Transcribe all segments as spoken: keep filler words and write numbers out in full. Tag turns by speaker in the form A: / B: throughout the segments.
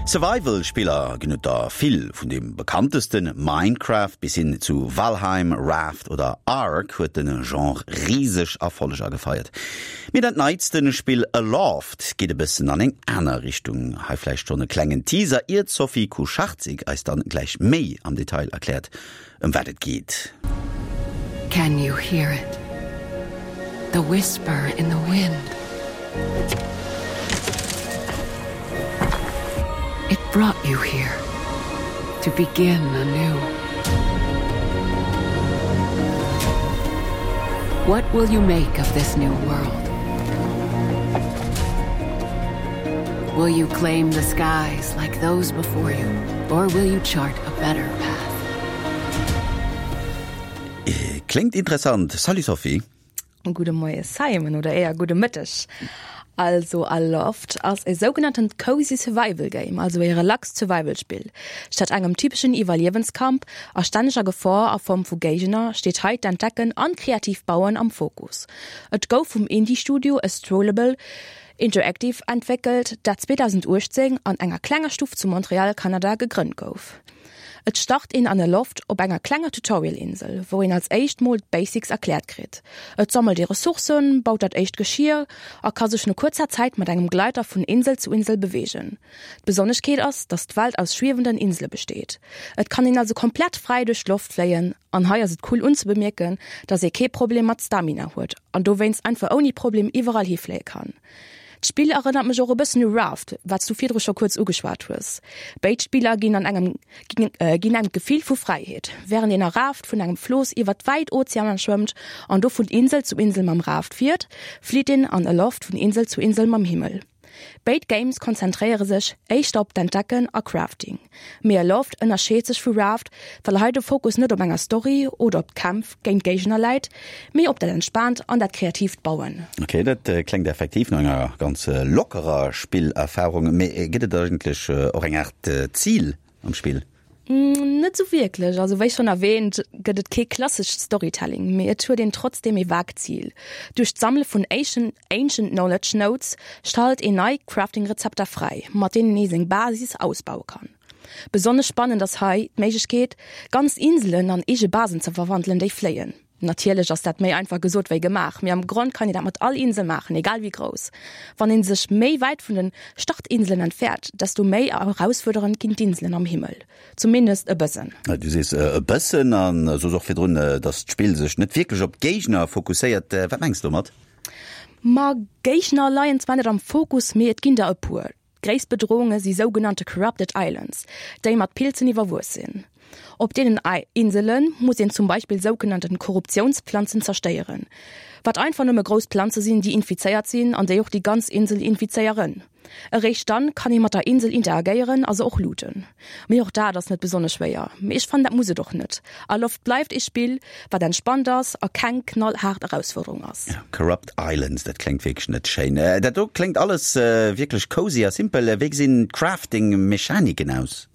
A: Survival-Spiller ginn et der vill, vun deem bekanntesten Minecraft bis hin zu Valheim, Raft oder Ark huet de Genre riseg Erfolleger gefeiert. Mee dat neitste Spill Aloft geet e bëssen an eng aner Richtung. Hei vläicht schonn e klengen Teaser, ier d'Sophie Kucharczyk eis dann gläich méi am Detail erkläert, ëm wat et geet.
B: Can you hear it? The whisper in the wind. It brought you here to begin anew. What will you make of this new world? Will you claim the skies like those before you, or will you chart a better path?
A: Kléngt interessant. Salut Sophie.
C: Gudde Moie Simon, oder éier gudde Mëtteg. Also Aloft ass e sougenanntent cozy survival game, also e relaxt Survival-Spill. Statt engem typeschen Iwwerliewenskampf a stänneger Gefor a Form vu Géigner steet hei d'Entdecken an kreatiivt Bauen am Fokus. Et gouf vum Indie-Studio Astrolable Interactive entwéckelt, dat zweedausenduechtzéng an enger klenger Stuff zu Montreal, Kanada, gegrënnt gouf. Et start een an Aloft op enger klenger Tutorial-Insel, wou een als éischt mol d'Basics erkläert kritt. Et sammelt ee Ressourcen, baut dat éischt Geschier a ka sech no kuerzer Zäit mat engem Gleiter vun Insel zu Insel beweegen. D'Besonneschkeet ass, dass d'Welt aus schwiewenden Insele besteet. Et kann een also komplett fräi duerch d'Loft fléien an hei ass et cool unzebemierken, dass ee kee Problem mat Stamina huet an dowéinst einfach ouni Problem iwwerall hifléie kann. D'Spill erënnert mech och e bëssen u Raft, wat s du virdru scho kuerz ugeschwat hues. Béid Spiller ginn an engem ginn engem d'Gefill vu Fräiheet. Wärend een a Raft vun engem Flooss iwwert wäit Ozeaner schwëmmt an do vun Insel zu Insel mam Raft fiert, flitt een an Aloft vun Insel zu Insel mam Himmel. Béid Games konzentréiere sech éischter op d'Entdecken a Crafting. Mee Aloft ënnerscheet sech vu Raft, well hei de Fokus net op enger Story oder op d'Kämpf géint Géigner läit, mee op dat entspaant an dat kreatiivt Bauen.
A: Ok, dat kléngt effektiv no enger ganz lockerer Spillerfarung. Mee gëtt et eigentlech och eng Aart Zil am Spill?
C: Net sou wierklech. Also wéi schonn erwähnt, gëtt et kee klassescht Storytelling, mee et huet een trotzdeem ee vaagt Zil. Duerch d'Sammele vun Ancient Knowledge Notes schalt een nei Crafting-Rezepter fräi, mat deenen ee seng Basis ausbaue kann. Besonnesch spannend ass hei d'Méiglechkeet, ganz Inselen an eege Basen ze verwandelen, déi fléien. Natierlech ass dat méi einfach gesot wéi gemaach, mee am Grond kann een dat mat all Insel maachen, egal wéi grouss. Wann een sech méi wäit vun den Startinselen entfernt, desto méi erausfuerderend ginn d'Inselen am Himmel. Zumindest e bëssen.
A: Du sees e bëssen an soos och virdrun, dass d'Spill sech net wierklech op d'Géigner fokusséiert. Wat mengs de domat?
C: Ma Géigner leien zwar net am Fokus, mee et ginn der e puer. D'gréisst Bedrohunge si sougenannte Corrupted Islands, déi mat Pilzen iwwerwuess sinn. Op deenen Insele muss een zum Beispill sougenannten Korruptiounsplanzen zerstéieren, wat einfach nëmme grouss Planze sinn, déi infizéiert sinn an déi och déi ganz Insel infizéieren. Eréischt dann kann ee mat der Insel interagéieren a se och looten. Mee och dat ass net besonnesch schwéier. Mee ech fannen, dat muss et och net. Aloft bleift ee Spill, wat entspannt ass a keng knallhaart Erausfuerderung ass.
A: Corrupt Islands, dat kléngt wierklech net schéin. Dat do kléngt alles wierklech cozy a simpel. Wéi gesinn d'Crafting-Mechaniken aus?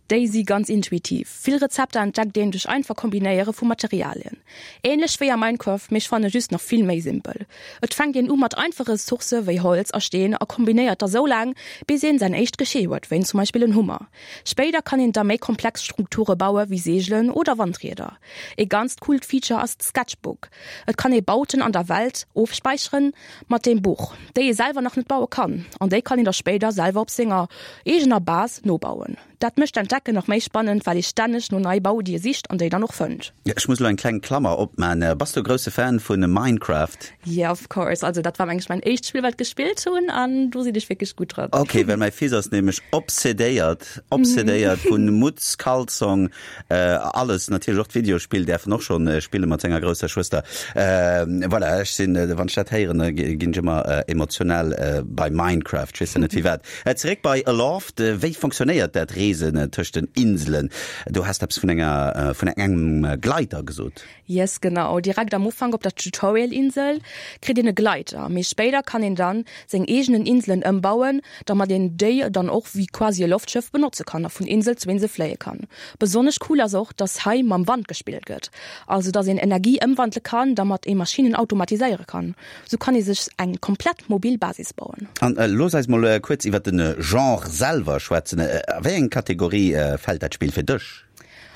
C: Déi si ganz intuitiv. Vill Rezepter entdeckt een duerch einfach Kombinéiere vu Materialien. Ähnlech wéi a Minecraft, mee ech fanne just nach vill méi simpel. Et fänkt een u mat einfache Ressourcë wéi Holz a Steen a kombinéiert da sou laang, bis een säin éischt Geschier huet, wéi zum Beispill en Hummer. Spéider kann een da méi komplex Strukture baue wéi Seegelen oder Wandrieder. Ee ganzt coolt Feature ass d'Sketchbook. Et kann ee Bauten an der Welt ofspäicheren mat deem Buch, déi ee selwer nach net baue kann, an déi kann een da spéider selwer op senger eegener Base nobauen. Dat mécht d'Entdecken nach méi spannend, well ee stänneg no nei Bauiddie sicht an déi dann och fënnt.
A: Ech muss elo eng kleng Klammer opman, Bass du e grousse Fan vu Minecraft?
C: Yeah, of course. Also dat war mengen ech mäin éischt Spill wat gespillt hunn an do sinn ech wierklech gutt dran.
A: Ok, well mäi Fils ass nämlech obsedéiert, obsedéiert vun Mutz, Kalzong, alles, natierlech och d'Videospill däerf en och schonn spille mat senger grousser Schwëster. Voilà, ech sinn, wann ech dat héieren, da ginn ech ëmmer emotional bei Minecraft, ech weess net firwat. Zeréck bei Aloft, wéi fonctionnéiert dat Reesen reesen tëscht den Inselen. Du has eppes vun enger vun engem Gleiter gesot.
C: Yes, genau. Direkt am Ufank op der Tutorial-Insel kritt een e Gleiter. Méi spéider kann een dann seng eegenen Inselen ëmbauen, domat een déi dann och wéi quasi e Loftschëff benotze kann a vun Insel zu Insel fléie kann. Besonnesch cool ass och, dass hei mam Wand gespillt gëtt. Also dass een Energie ëmwandele kann, domat ee Maschinnen automatiséiere kann. Sou kann ee sech eng komplett mobil Basis bauen.
A: An looss eis mol kuerz iwwer den Genre selwer schwätzen. A wéi eng Kategorie fält dat Spill fir dech?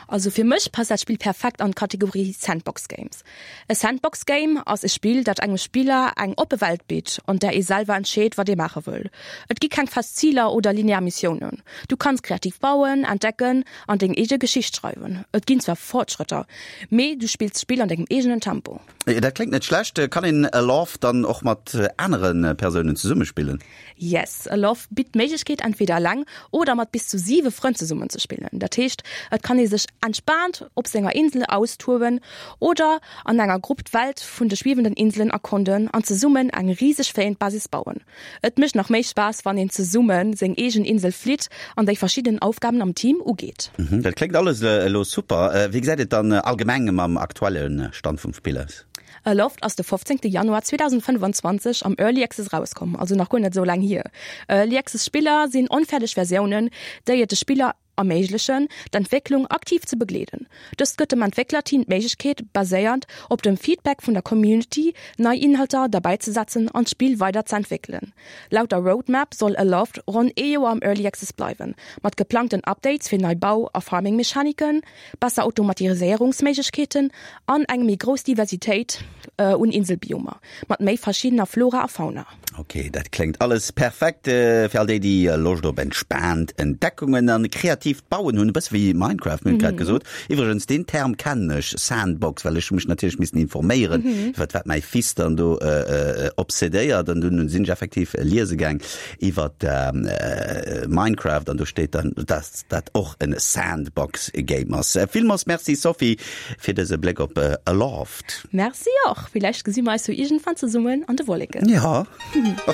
C: Also fir mech passt dat Spill perfekt an d'Kategorie Sandbox Games. E Sandbox Game ass e Spill, dat engem Spiller eng oppe Welt bitt, an där ee selwer entscheet, wat ee maache wëll. Et gi keng fest Ziler oder linear Missiounen. Du kanns kreativ bauen, entdecken an deng eege Geschicht schreiwen. Et ginn zwar Fortschrëtter, mee du spills d'Spill an dengem eegenen Tempo.
A: Dat kléngt net schlecht. Kann een Aloft dann och mat anere Persounen zesumme spillen?
C: Yes, Aloft bitt d'Méiglechkeet entweder eleng oder mat bis zu siwe Frënn zesummen ze spillen. Dat heescht, et kann ee sech entspaant op senger Insel austoben oder an enger Grupp d'Welt vun de schwiewenden Inselen erkonden an zesummen eng riseg fléiend Basis bauen. Et mécht nach méi Spaass, wann een zesummen seng eegen Insel flitt an déi verschidden Aufgaben am Team ugeet.
A: Dat kléngt alles elo super. Wéi gesäit et dann allgemeng mam aktuelle Stand vum Spill aus?
C: Aloft ass de fofzéngte Januar zweedausendfënnefanzwanzeg am Early Access erauskomm, also nach guer net esou laang hier. Early Access Spiller sinn onfäerdeg Versiounen, déi et de Spiller erméiglechen, d'Entwécklung aktiv ze begleeden. Dëst gëtt dem Entwécklerteam d'Méiglechkeet, baséiernd op dem Feedback vun der Community nei Inhalter derbäizesetzen an d'Spill weider ze entwéckelen. Laut der Roadmap soll Aloft ronn ee Joer am Early Access bleiwen, mat geplangten Updates fir nei Bau a Farming-Mechaniken, besser Automatiséierungsméiglechkeeten an eng méi grouss Diversitéit un Inselbiomer mat méi verschiddener Flora a Fauna.
A: Ok, dat kléngt alles perfekt fir all déi, déi Loscht op entspaant Entdeckungen an kreatiivt Bauen hunn, e bësse wéi Minecraft, mir hunn et grad gesot. Iwwregens, deen Term kennen ech, Sandbox, well ech hu mech natierlech missen informéieren, iwwert wat mäi Fils dann do obsedéiert an dunn sinn ech effektiv liese gaang iwwert Minecraft an do steet dann, dass dat och en Sandbox Game ass. Villmools Merci Sophie fir dëse Bléck op Aloft.
C: Merci och, villäicht gesi mer eis jo iergendwann zesummen an de Wolleken.
A: Jo, a